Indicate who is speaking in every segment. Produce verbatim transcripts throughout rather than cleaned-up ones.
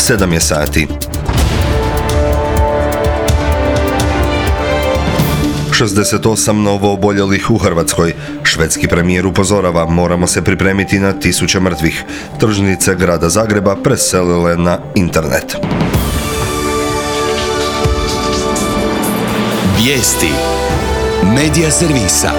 Speaker 1: sedam je sati. šezdeset osam novooboljelih u Hrvatskoj. Švedski premijer upozorava, moramo se pripremiti na tisuće mrtvih. Tržnice grada Zagreba preselile na internet.
Speaker 2: Vijesti Medija servisa.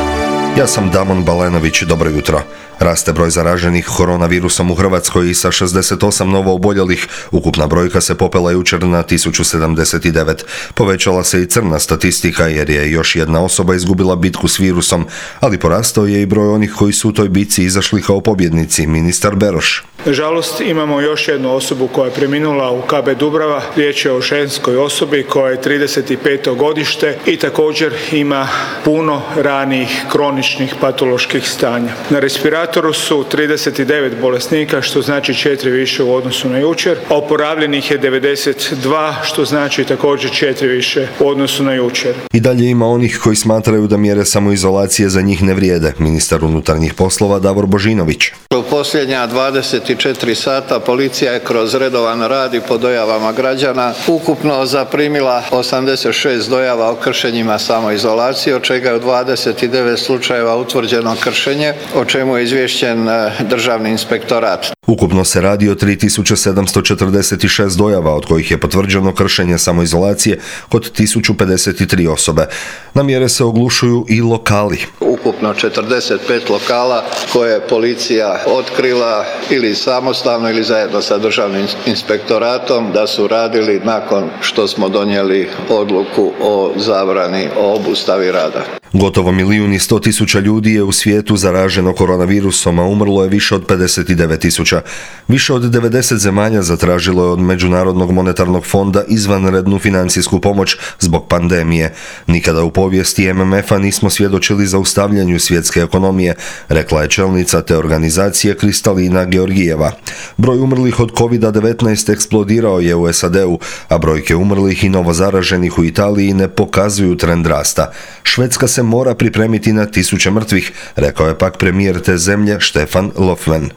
Speaker 1: Ja sam Damon Balenović, dobro jutro. Raste broj zaraženih koronavirusom u Hrvatskoj i sa šezdeset osam novooboljelih. Ukupna brojka se popela jučer na tisuću sedamdeset devet. Povećala se i crna statistika jer je još jedna osoba izgubila bitku s virusom, ali porastao je i broj onih koji su u toj bitci izašli kao pobjednici, ministar Beroš.
Speaker 3: Nažalost, imamo još jednu osobu koja je preminula u K B Dubrava. Riječ je o ženskoj osobi koja je trideset peto godište i također ima puno ranijih kroničnih patoloških stanja. Na respiratoru su trideset devet bolesnika, što znači četiri više u odnosu na jučer, a oporavljenih je devedeset dva, što znači također četiri više u odnosu na jučer.
Speaker 1: I dalje ima onih koji smatraju da mjere samoizolacije za njih ne vrijede. Ministar unutarnjih poslova Davor Božinović.
Speaker 4: U posljednja dvadeset četiri sata policija je kroz redovan rad i po dojavama građana ukupno zaprimila osamdeset šest dojava o kršenjima samoizolacije, od čega je u dvadeset devet slučajeva utvrđeno kršenje, o čemu je izvješćen Državni inspektorat.
Speaker 1: Ukupno se radi o tri tisuće sedamsto četrdeset šest dojava, od kojih je potvrđeno kršenje samoizolacije kod tisuću pedeset tri osobe. Na mjere se oglušuju i lokali.
Speaker 4: Ukupno četrdeset pet lokala koje je policija otkrila ili samostalno ili zajedno sa Državnim inspektoratom da su radili nakon što smo donijeli odluku o zabrani o obustavi rada.
Speaker 1: Gotovo milijun i sto tisuća ljudi je u svijetu zaraženo koronavirusom, a umrlo je više od pedeset devet tisuća. Više od devedeset zemalja zatražilo je od Međunarodnog monetarnog fonda izvanrednu financijsku pomoć zbog pandemije. Nikada u povijesti M M F-a nismo svjedočili zaustavljanju svjetske ekonomije, rekla je čelnica te organizacije Kristalina Georgijeva. Broj umrlih od kovid devetnaest eksplodirao je u S A D-u, a brojke umrlih i novozaraženih u Italiji ne pokazuju trend rasta. Švedska se mora pripremiti na tisuće mrtvih, rekao je pak premijer te zemlje Stefan Löfven.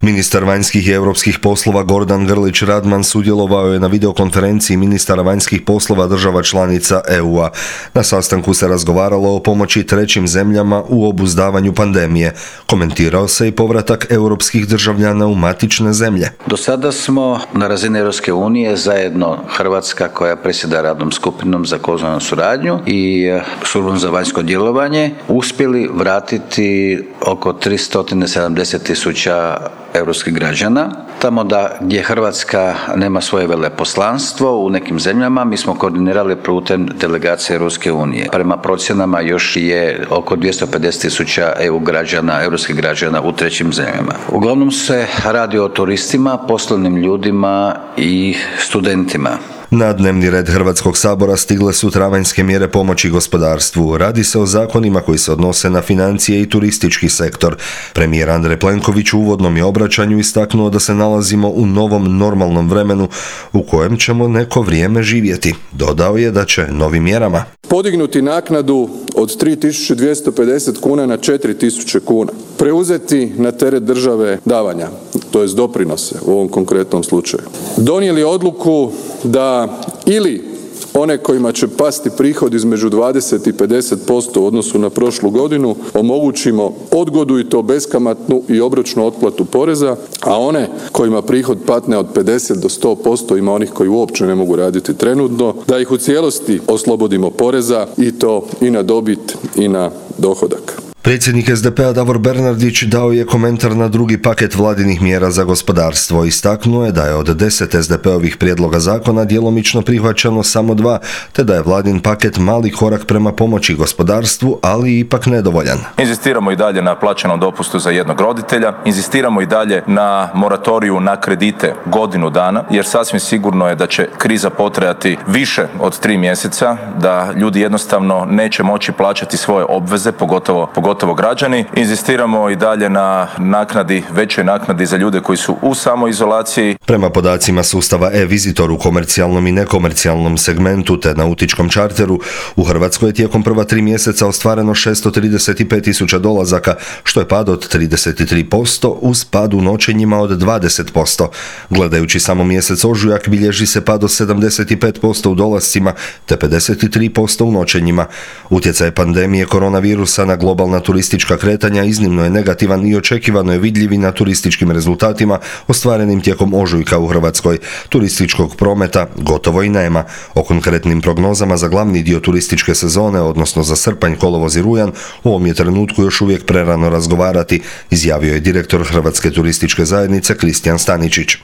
Speaker 1: Ministar vanjskih i europskih poslova Gordan Grlić Radman sudjelovao je na videokonferenciji ministara vanjskih poslova država članica E U-a. Na sastanku se razgovaralo o pomoći trećim zemljama u obuzdavanju pandemije. Komentirao se i povratak europskih državljana u matične zemlje.
Speaker 5: Do sada smo na razini Europske unije zajedno Hrvatska, koja predsjeda radnom skupinom za kozmenu suradnju i službom za vanjsko djelovanje, uspjeli vratiti oko tristo sedamdeset tisuća europskih građana. Tamo da gdje Hrvatska nema svoje veleposlanstvo u nekim zemljama, mi smo koordinirali putem delegacije Europske unije. Prema procjenama još je oko dvjesto pedeset tisuća E U građana, europskih građana u trećim zemljama. Uglavnom se radi o turistima, poslovnim ljudima i studentima.
Speaker 1: Na dnevni red Hrvatskog sabora stigle su travanjske mjere pomoći gospodarstvu. Radi se o zakonima koji se odnose na financije i turistički sektor. Premijer Andrej Plenković u uvodnom je obraćanju istaknuo da se nalazimo u novom normalnom vremenu u kojem ćemo neko vrijeme živjeti. Dodao je da će novim mjerama
Speaker 6: podignuti naknadu od tri tisuće dvjesto pedeset kuna na četiri tisuće kuna, preuzeti na teret države davanja, to jest doprinose u ovom konkretnom slučaju. Donijeli odluku da ili one kojima će pasti prihod između dvadeset i pedeset posto u odnosu na prošlu godinu omogućimo odgodu i to beskamatnu i obročnu otplatu poreza, a one kojima prihod patne od pedeset do sto posto, ima onih koji uopće ne mogu raditi trenutno, da ih u cijelosti oslobodimo poreza i to i na dobit i na dohodak.
Speaker 1: Predsjednik S D P-a Davor Bernardić dao je komentar na drugi paket vladinih mjera za gospodarstvo. Istaknuo je da je od deset S D P-ovih prijedloga zakona djelomično prihvaćeno samo dva, te da je vladin paket mali korak prema pomoći gospodarstvu, ali ipak nedovoljan.
Speaker 7: Inzistiramo i dalje na plaćenom dopustu za jednog roditelja, inzistiramo i dalje na moratoriju na kredite godinu dana, jer sasvim sigurno je da će kriza potrajati više od tri mjeseca, da ljudi jednostavno neće moći plaćati svoje obveze, pogotovo, pogotovo pogotovo građani. Inzistiramo i dalje na naknadi, većoj naknadi za ljude koji su u samoizolaciji.
Speaker 1: Prema podacima sustava e-Visitor u komercijalnom i nekomercijalnom segmentu te nautičkom čarteru, u Hrvatskoj je tijekom prva tri mjeseca ostvareno šesto trideset pet tisuća dolazaka, što je pad od trideset tri posto uz pad u noćenjima od dvadeset posto. Gledajući samo mjesec ožujak bilježi se pad od sedamdeset pet posto u dolascima te pedeset tri posto u noćenjima. Utjecaj pandemije koronavirusa na globalna turistička kretanja iznimno je negativan i očekivano je vidljiv i na turističkim rezultatima ostvarenim tijekom ožujka u Hrvatskoj. Turističkog prometa gotovo i nema. O konkretnim prognozama za glavni dio turističke sezone, odnosno za srpanj, kolovoz i rujan, u ovom je trenutku još uvijek prerano razgovarati, izjavio je direktor Hrvatske turističke zajednice Kristijan Staničić.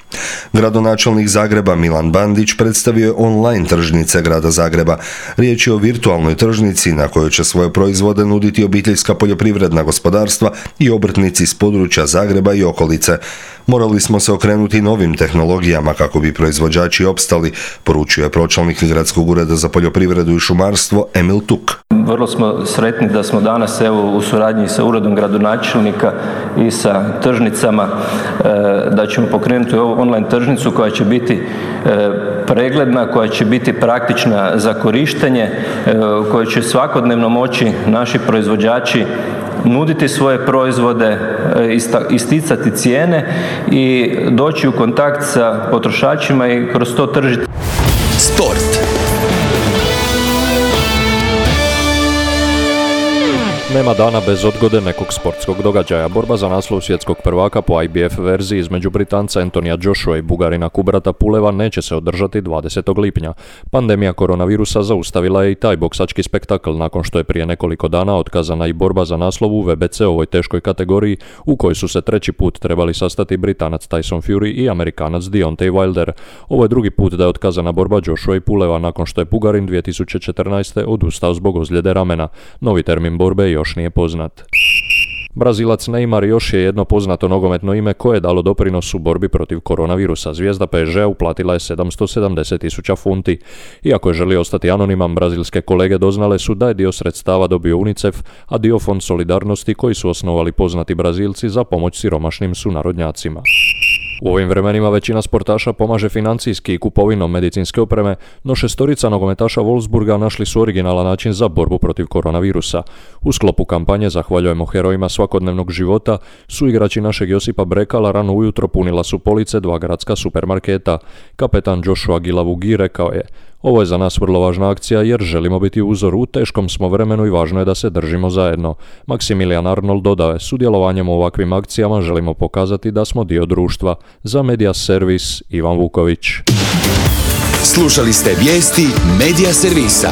Speaker 1: Gradonačelnik Zagreba Milan Bandić predstavio je online tržnice grada Zagreba. Riječ je o virtualnoj tržnici na kojoj će svoje proizvode nuditi obiteljska poljoprivredna gospodarstva i obrtnici iz područja Zagreba i okolice. Morali smo se okrenuti novim tehnologijama kako bi proizvođači opstali, poručio je pročelnik Gradskog ureda za poljoprivredu i šumarstvo Emil Tuk.
Speaker 8: Vrlo smo sretni da smo danas evo u suradnji sa uredom gradonačelnika i sa tržnicama da ćemo pokrenuti ovu online tržnicu koja će biti pregledna, koja će biti praktična za korištenje, koja će svakodnevno moći naši proizvođači nuditi svoje proizvode, isticati cijene i doći u kontakt sa potrošačima i kroz to tržiti.
Speaker 2: Sport.
Speaker 9: Nema dana bez odgode nekog sportskog događaja. Borba za naslov svjetskog prvaka po I B F verziji između Britanca Antonija Joshua i Bugarina Kubrata Puleva neće se održati dvadesetog lipnja. Pandemija koronavirusa zaustavila je i taj boksački spektakl nakon što je prije nekoliko dana otkazana i borba za naslov u V B C ovoj teškoj kategoriji u kojoj su se treći put trebali sastati Britanac Tyson Fury i Amerikanac Deontay Wilder. Ovo je drugi put da je otkazana borba Joshua i Puleva nakon što je Bugarin dvije tisuće četrnaeste. odustao zbog ozljede ramena. Novi termin borbe je još nije poznat. Brazilac Neymar još je jedno poznato nogometno ime koje je dalo doprinos u borbi protiv koronavirusa. Zvijezda P S G-a uplatila je sedamsto sedamdeset tisuća funti. Iako je želio ostati anoniman, brazilske kolege doznale su da je dio sredstava dobio UNICEF, a dio Fond solidarnosti koji su osnovali poznati Brazilci za pomoć siromašnim sunarodnjacima. U ovim vremenima većina sportaša pomaže financijski i kupovinom medicinske opreme, no šestorica nogometaša Wolfsburga našli su originalan način za borbu protiv koronavirusa. U sklopu kampanje Zahvaljujemo herojima svakodnevnog života su igrači našeg Josipa Brekala rano ujutro punila su police dva gradska supermarketa. Kapetan Joshua Gilavugi rekao je: ovo je za nas vrlo važna akcija jer želimo biti uzor u teškom smo vremenu i važno je da se držimo zajedno. Maximilian Arnold dodao je: sudjelovanjem u ovakvim akcijama želimo pokazati da smo dio društva. Za Media Servis Ivan Vuković.
Speaker 2: Slušali ste vijesti Media Servisa.